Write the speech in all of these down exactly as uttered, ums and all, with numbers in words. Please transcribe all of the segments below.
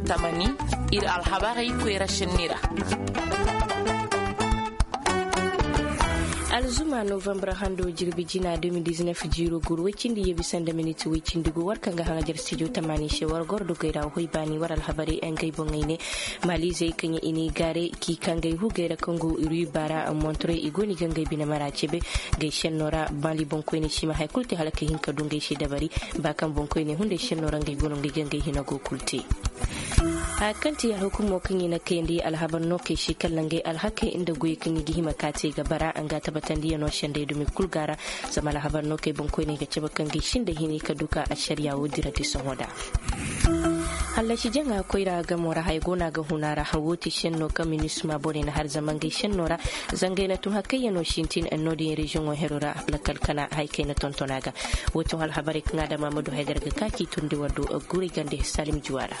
Tamani, ir alhabarey koyra šenni ra. Alzuma novambar hando jirbi jina de mil diznef jiiro gur woy cindi yeebi sanda minit woy cindi gu war kaŋ ga haŋajar stijo tamani se war goro dogey ra hoy baani war alhabarey ngey boŋey ne. Maliizey kaŋ i n'i gaare k'i ka ngey hugey ra kaŋ go ruy baara montorey i go no i ga ngey bine mara cebe. Ngey šenno ra mali boŋkoyney si ma haya kulu te hala ka hin ka du ngey se dabari. Ba kaŋ boŋkoyney hunday šenno ra ngey go no ngey ga ngey hina go kulu te. Haya kaŋ ti alhukumo kaŋ i na kayandi alhabar nookey se kala ngey alhakey nda goyey kaŋ i ga hima ka te ga bara nga tabatandiyanoo sendey dumi kul ga ra. Zama alhabar nookey boŋkoyney ga cabe kaŋ ga i sinda hini ka du ka ašariya woo dirandi sohõ da. Hallasi jaŋa koyra gamo ra haya go no a ga hun a ra. Woo ti senno kaŋ minisma borey na har zama ngey senno ra. Zangey na tun hakayyanoo sintin no-din reziyoŋo hero ra. Lakal kana haya kaŋ i na tonton a ga. Woo ti alhabarey kaŋ adama ma du haya gar ga ka k'i turndi war do. Guray gande salim juwa ra.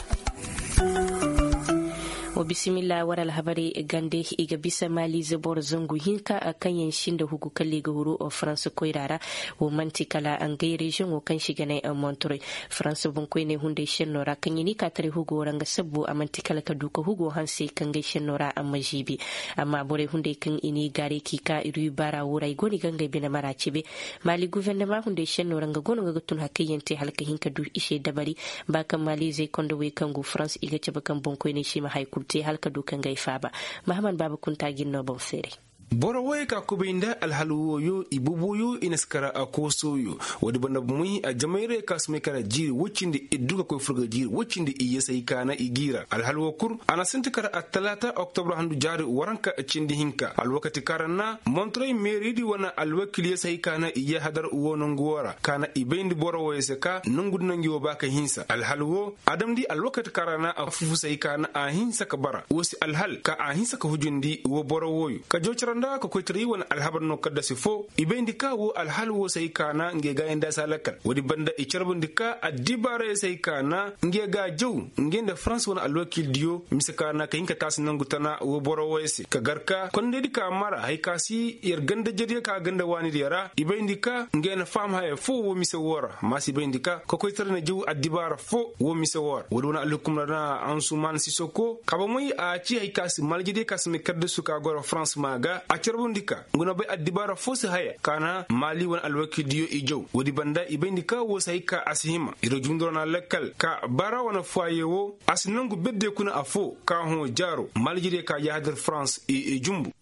Wa bisimilla war alhabarey gande i ga bisa maliize boro zangu hinka kaŋ yaŋ sinda hugu kala i ga huru farans koyra ra. Wo man'ti kala ngey reziyoŋo kaŋ se i ga ne montorey farans boŋkoyney hunday senno ra kaŋ i n'i ka taray hugo ra nga sabbu a man'ti kala ka du ka hugo hanse kaŋ ngey senno ra a ma ziibi. Amma borey hunday kaŋ i n'i gaaray k'i ka ruy baara woo ra i go no i ga ngey bine mara cebe. Mali guvernama hunday senno ra nga go no nga ga tun hakayyaŋ te hala ka hin ka du i se dabari. Ba kaŋ maliizey kondowey kaŋ go farans i ga cabe kaŋ boŋkoyney se i ma haya kulu te hala ka du ka ngey faaba. Mahaman baaba kunta ga ir no boŋ feeray. Boro wooyey ka kubay nda alhal wooyo i boboyo i na si kar a koosooyo. Woodi banda bomey a jamayray ka si may kar jiiri woy cindi iddu ka koy fur ga jiiri woy cindi i yesey ka na i g'i ra alhal woo kul a na sinti kar attalaata oktobra handu jaari waranka cindi hinka alwakati kaŋ ra na montorey meeridi wane alwakil yesey ka na i yahadar woo nongu woo ra ka na i bayndi boro wooyey se ka nongu di no ngi woo ba ka hinsa alhal woo a damndi alwakati kaŋ ra na a fufusey ka na a hinsa ka bara woo si alhal ka a hinsa ka hujundi woo boro wooyo ka joo cere nda ka koytaray wane alhabar no kaddasi foo i bayndi ka woo alhal woo se ay ka na ngey gaayandaa si a lakkal woodi banda i carbundi ka addibaarey se ay ka na ngey ga a jaw ngey nda farans wane alwakildiyo mise ka na ka hin ka taasi nongu tana woo boro wooyo se ka gar ka kondaydi ka mara hay ka si yer ganda jediyo ka ganda waanidiyo ra i bayndi ka ngey na faham haya foo woo mise woo ra maasi bayndi ka kokoytaray na jaw addibaara foo woo mise woo ra woodi wane alhukum ra na ansuman sisoko ka bomey a ci hay ka si maljediyo ka si may kaddasu ka goro farans maa ga a carbundi ka ngu na bay addibaara foo si haya ka na maali wane alwakildiyo i jaw woodi banda i bayndi ka woo si hay ka a si hima ir jumduro na lakkal ka baara wane fuwaye woo a si nongu bedde kuna afoo ka hõ jaaro maljediyo ka yahadar farans i jumbu.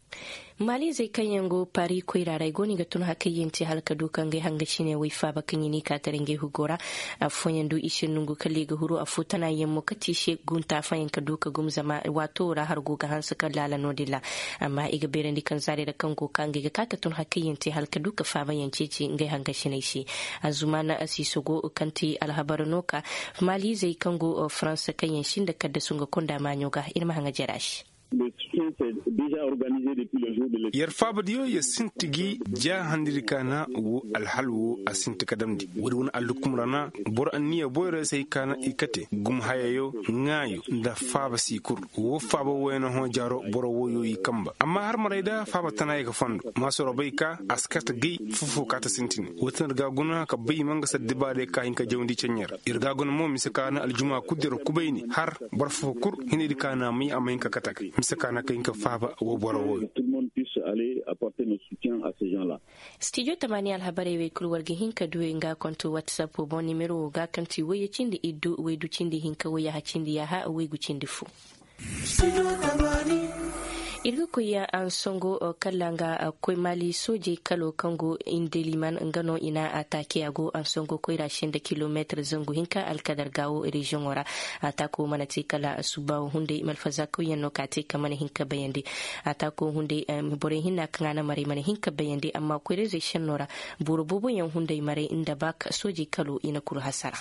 Maaliizey kaŋ yaŋ go pari koyra ra ay go no i ga tun hakayyaŋ te hala ka du ka ngey hangasiney way faaba kaŋ i n'i ka tara ngey hugo ra. Affooyaŋ du i se nongu kala i ga huru affoo tana yaŋ mo kate i se gunta fooyaŋ ka du ka gum zama waato ra har go ga hanse ka laala no-din ra. Amma i ga beerandi kaŋ zaarey ra kaŋ go ka ngey ga ka ka tun hakayyaŋ te hala ka du ka faabayaŋ ceeci ngey hangasiney se. Azumaana asiiso go kaŋ ti alhabar no ka maaliizey kaŋ go faransa kaŋ yaŋ sinda kaddasu nga konda maaɲo ga ir ma haŋa jara se. Yer faabadiyo yer sinti gi jaahandidi ka na wo alhal wo a sinti ka damndi woodi wane allukum ra na boro anniya boyro se ay ka na i kate gum hayayo ŋaayo nda faaba si kul wo faaba woyne hõ jaaro boro woyo i kamba amma har maray da faaba tana ye ka fondo maasoro bay ka a si kate gay fofo ka ta sintini wo tin ir ga guna ka bay mangasa dibaarey ka hin ka jawndi ceɲe ra ir ga guna mo mise ka na aljuma kul di ra kubayni har boro fo kul hinaydi ka na a may a ma hin ka kate ga mise ka na ka hin ka faaba wo boro woyo. Stijo tamaani alhabarey wey kul war ga hin ka du nga konto whatsapp boŋ nimero wo ga kaŋ ti wayye cindi iddu waydu cindi hinka wayyaha cindi yaaha waygu cindi fo. Ir ga koy ansongo kala nga koy mali soojey kalo kaŋ go indeliman nga no i na atake a go ansongo koyra senda kilomeetir zangu hinka alkadar gaawo reziyoŋo ra. Atako mana te kala suba wo hunday malfaza koyyaŋ no ka te ka mana hin ka bayandi. Atako hunday borey hinna kaŋ a na maray mana hin ka bayandi amma koyra zey senno ra boro booboyaŋ hunday maray nda baak soojey kalo i na kul hasara.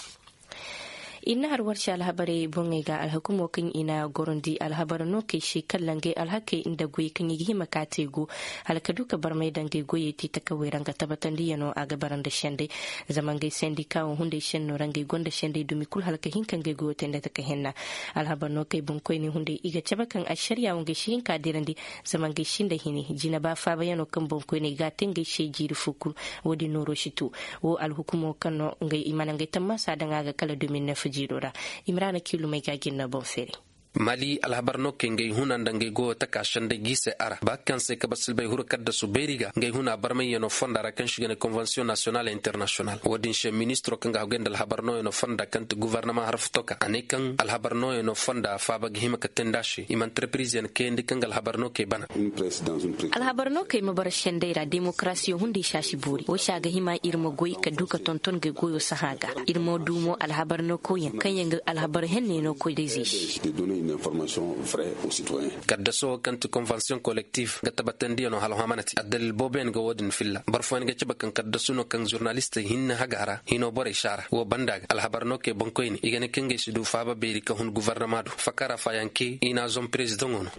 Ir na har war se alhabarey boŋey ga alhakumo kaŋ i na gorandi alhabar no kay se kala ngey alhakey nda goyey kaŋ i ga hima ka te go hala ka du ka barmay da ngey goyey te takawey ra nga tabatandiyano a ga bara nda sendey. Zama ngey sendika wo hunday senno ra ngey gonda sendey dumi kul hala ka hin ka ngey goyo te nda taka henna. Alhabar no kay boŋkoyney hunday i ga cabe kaŋ ašariya wo ngey si hin ka dirandi. Zama ngey sinda hini jinaba faabayano kaŋ boŋkoyney ga a te ngey se jiiri fo kul. Wo-din nooro si tu wo alhukumo kaŋ no ngey i mana ngey tammaasa daŋ a ga kala de mil nef. Jiiro ra, imraana kiilumey ga gin no boŋ fere. Mali alhabar no kay ngay huna nda ngay goyo taka sendey gi se a ra ba kaŋ se kabasilbay huru kaddasu beeri ga ngay huna barmayyanoo fonda ra kaŋ se i ga ne konvensiyon nasiyonal internasiyonal wo- din se ministiro kaŋ ga hagay nda alhabar nooyanoo fonda kaŋ ti guvarnama harfuto ka a ne kaŋ alhabar nooyanoo fonda faaba ga hima ka teendi a se i ma antarpirizeyaŋ kayandi kaŋ ga alhabar no kay bana. Alhabar no kay ma bara sendey ra demokarasiyo hunday saasi boori wo se a ga hima ir ma goy ka du ka tonton ga goyo sahã ga. Ir ma du mo alhabar no koyyaŋ kaŋ yaŋ ga alhabar henne no koy day zay se. Kaddaso wo kaŋ ti konvensiyoŋ kolektif ga tabatandiyaŋo hala hõ a mana te addalil booboyaŋ ga wo- din filla boro fooyaŋ ga cabe kaŋ kaddasu no kaŋ zurnalistey hinne haga ra hino borey saara wo banda ga alhabar no kay boŋkoyne i ga ne kaŋ gay si du faaba beeri ka hun guvarnama do fakara faayanke i n'a zom perezidaŋo no.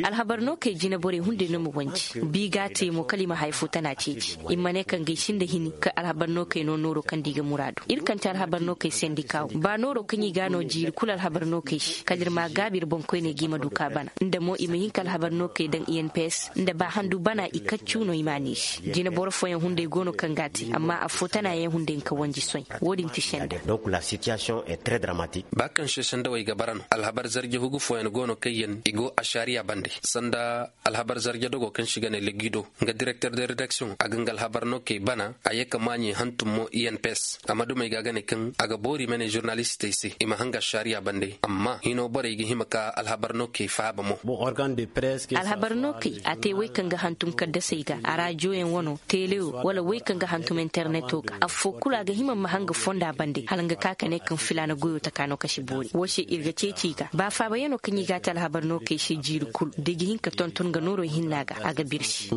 Alhabar no kay jine borey hunday no ma wanji bi ga a te mo kala i ma haya fo tana ceeci i ma ne kaŋ gay sinda hini ka alhabar no kay no nooro kaŋ da i ga muraadu ir kaŋ te alhabar no kay sendika wo ba nooro kaŋ i ga a no jiiri kulu alhabar no kay se kala ir ma a gaabi ir boŋkoyney ga i ma du ka bana nda mo i ma hin ka alhabar no kay daŋ i n p s nda ba handu bana i kaccu no i ma a ne i se jine boro fooyaŋ hunday go no kaŋ ga a te amma affoo tana yaŋ hunday nka wanji soy wo- din ti senda. Ba kaŋ se sendawey ga bara no alhabar zarje hugu fooyaŋ go no kaŋ yaŋ i go ašariya bande sanda alhabar zarje dogo kaŋ se i ga ne legido nga direkter de redaksiyoŋ a ga nga alhabar no kay bana a ye ka maaɲey hantum mo i n p s a ma dumey ga a ga ne kaŋ a ga boori i ma ne zurnalistey se i ma hanga ašariya bande amma hino borey ga hima ka alhabar no kay faaba mo. Alhabar no kay a te wey kaŋ ga hantum kaddasey ga arajoyaŋ wano telewo wala wey kaŋ ga hantum interneto ga affoo kulu a ga hima ma hanga fonda bande hala nga ka ka ne kaŋ filaana goyo taka no ka si boori wo se ir ga ceeci i ga ba faabayaŋo kaŋ i ga a te alhabar no kay se jiiri kulu da i ga hin ka tonton ga nooro hinna ga a ga birsi.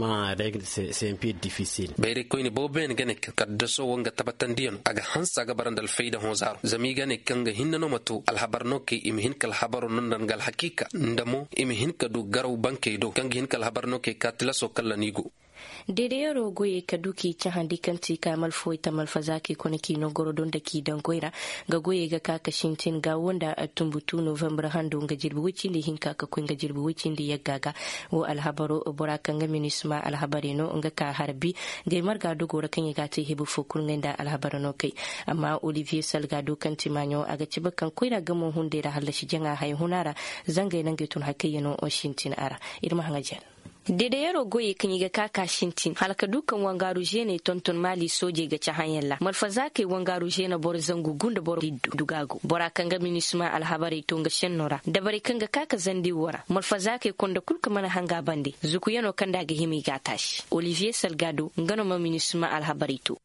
Bayraykoyne booboyaŋ ga ne kaŋ kaddaso wo nga tabatandiyaŋo a ga hanse a ga bara nda alfayda hõ zaaro zama i ga ne kaŋ ga hinne no ma to alhabar no kay i ma hin ka alhabaro no nda nga alhakiika nda mo i ma hin ka du garaw bankey do kaŋ ga hin ka alhabar no kay ka tilaso kalla no i go. Deedeyaroo goyey ka du k'i cahandi kaŋ ti ka malfawey ta malfazaakey kone k'i no goro do nda k'i daŋ goy ra. Nga goyey ga ka ka sintin gaawo nda tumbutu novambar hando nga jirbi woy cindi hinka ka koy nga jirbi woy cindi yagga ga. Wo alhabaro bora kaŋ ga minisma alhabarey no nga ka harbi. Ngey marga dogoo ra kaŋ i ga a te hebu fo kul ngey nda alhabaro no kay. Amma oliviye salgado kaŋ ti maaɲo a ga cabe kaŋ koyra gamo hunday ra hallasi jaŋa haya huna ra. Zangey nangey tun hakayyanoo sintin a ra. Ir ma haŋa jen. Dedeyaroo goyey kaŋ i ga ka ka sintin hala ka du kaŋ wangaaru zeeney tonton maali soojey ga cahãyaŋ ra malfazaakey wangaaru zeena boro zangu gu nda boro iddu dugaagu bora kaŋ ga minisma alhabarey to nga senno ra dabarey kaŋ ga ka ka zandi wo ra malfazaakey konda kul ka mana hanga bande zukuyanoo kaŋ nda a ga hima i g'a taasi oliviye salgado nga no ma minisma alhabarey to.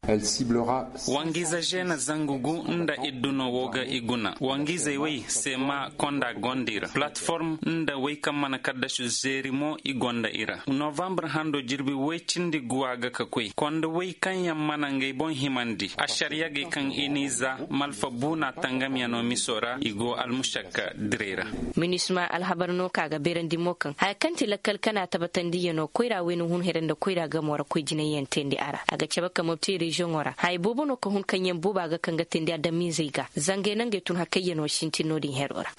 Wangiize zeena zangu gu nda iddu no wo ga i guna wangiizey wey seema konda gonda i ra palateform nda wey kaŋ mana kaddasu zeeri mo i gonda i ra novambar hando jirbi woy cindi guwa ga ka koy konda wey kaŋ yaŋ mana ngey boŋ himandi ašariyagey kaŋ i n'i za malfa buuna tangamyanoo miso ra i go almušakka direy ra. Minisma alhabar no ka ga beerandi mo kaŋ haya kaŋ ti lakkal kana tabatandiyanoo koyra wayna hun here nda koyra gamo ra koy jinayyaŋ teendi a ra a ga cabe ka mopti reziyoŋo ra haya boobo no ka hun kaŋ yaŋ booba ga kaŋ ga teendi adamizey ga zangey nangey tun hakayyanoo sintin no-din heroo ra.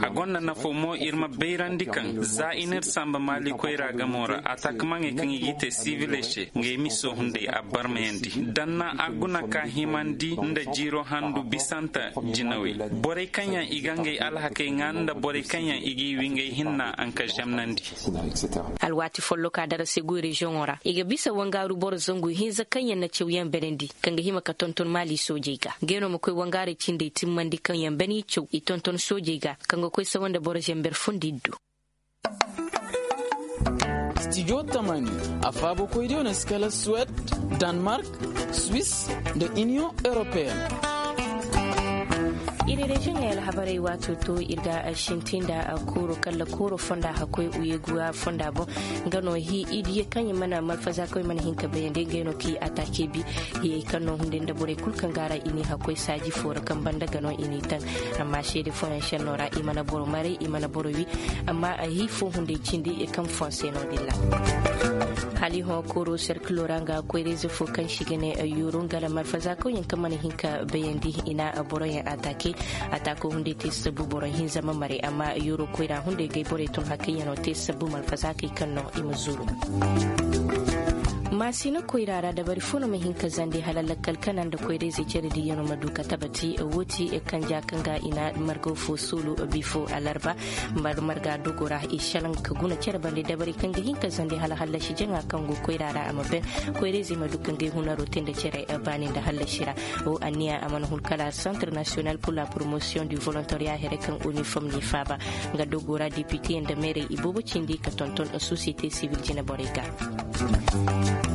A gonda nafo mo ir ma bayrandi kaŋ za i n'ir samba maali koyra gamo ra ataakamaŋey kaŋ i g'i te siviley se ngey miso hunday a barmayandi danna a guna ka himandi nda jiiro handu bisanta jinawey borey kaŋ yaŋ i ga ngey alhakey ŋaa nda borey kaŋ yaŋ i g'i wi ngey hinna anka zemnandi. Alwaati folloka darase goy reziyoŋo ra i ga bisa wangaaru boro zangu hinza kaŋ yaŋ na cawyaŋ berandi kaŋ ga hima ka tonton maali soojey ga ngey no ma koy wangaarey cindey timmandi kaŋ yaŋ bani caw i tonton soojey ga kaŋ ga koy sawa nda boro zember fundi iddu. Stijo tamani a faabakoydiyo na si kala suwed, danmark, swis, nda iniyoŋ europeyen. Iri reziyoŋey alhabarey waato to ir ga sintin nda kooro kala kooro fonda hakkoy uyeguwa fonda boŋ. Nga no hi idiye kaŋ i mana malfazakoy mana hin ka bayandi ngey no k'i atake bi hiyey kaŋ no hunday nda borey kul kaŋ ga a ra i n'i hakkoy saaji fo ra kaŋ banda ga no i n'i taŋ. Amma seede fooyaŋ senno ra i mana boro maray i mana boro wi. Amma a hi fo hunday cindi kaŋ fonse no din ra. Hali hõ kooro serkilo ra nga koy rezo fo kaŋ si ga ne yoro nga ra malfazakoyaŋ kaŋ mana hin ka bayandi i na boroyaŋ atake. Atako hunday te sabu boro hinza ma maray amma yoro koyra hunday gay borey tun hakayyaŋo te sabu malfazakey kaŋ no i ma zuru. Maasina koyra ra dabari fo no ma hin ka zandi hala lakkal kana nda koyra-izey cere diiyaŋo ma du ka tabati. Woo ti kanja kaŋ ga i na margaw fo suulu bifo alarba. Marga dogo ra i šalaŋ ka guna cere bande dabari kaŋ ga hin ka zandi hala hallasi jaŋa kaŋ go koyra ra a ma ben. Koyra-izey ma du ka ngey hunaro te nda cere baani nda hallasi ra. Woo anniya a mana hun kala centre national pour la promotion du volontariat here kaŋ uniform n'i faaba. Nga dogo ra depite nda meerey i boobo cindi ka tonton sosiyete sibil jine borey ga.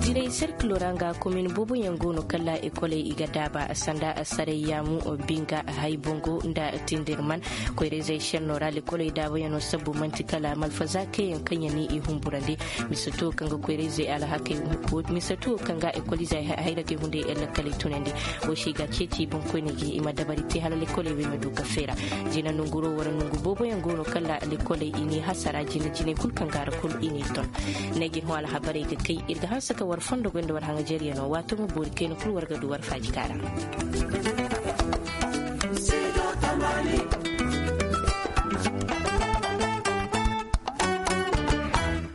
Direy serkilo ra nga komin booboyaŋ go no kala ekoley i ga daaba sanda saray yaamu, binga, haybongo nda tindirman. Koyra-izey šenno ra lekoley daabayaŋo sabbu man'ti kala malfaza kayyaŋ kaŋ yaŋ ni i humburandi. Mise tuwo kaŋ ga koyra-izey alhakey mise tuwo kaŋ ga ekol-izey hayragey hunday lakaley tunandi. Woo se i ga ceeci boŋkoyney ga i ma dabari te hala lekoley wey ma du ka feera. Jina nonguro wara nongu booboyaŋ go no kala lekoley i n'i hasara jina jinay kul kaŋ ga ra kul i n'i ton. Ne ga ir hõ alhabarey ga kay ir ga hanse ka war fondo goy nda war haŋajeryaŋo waato ma boori kayna kul war ga du war faaji kaara.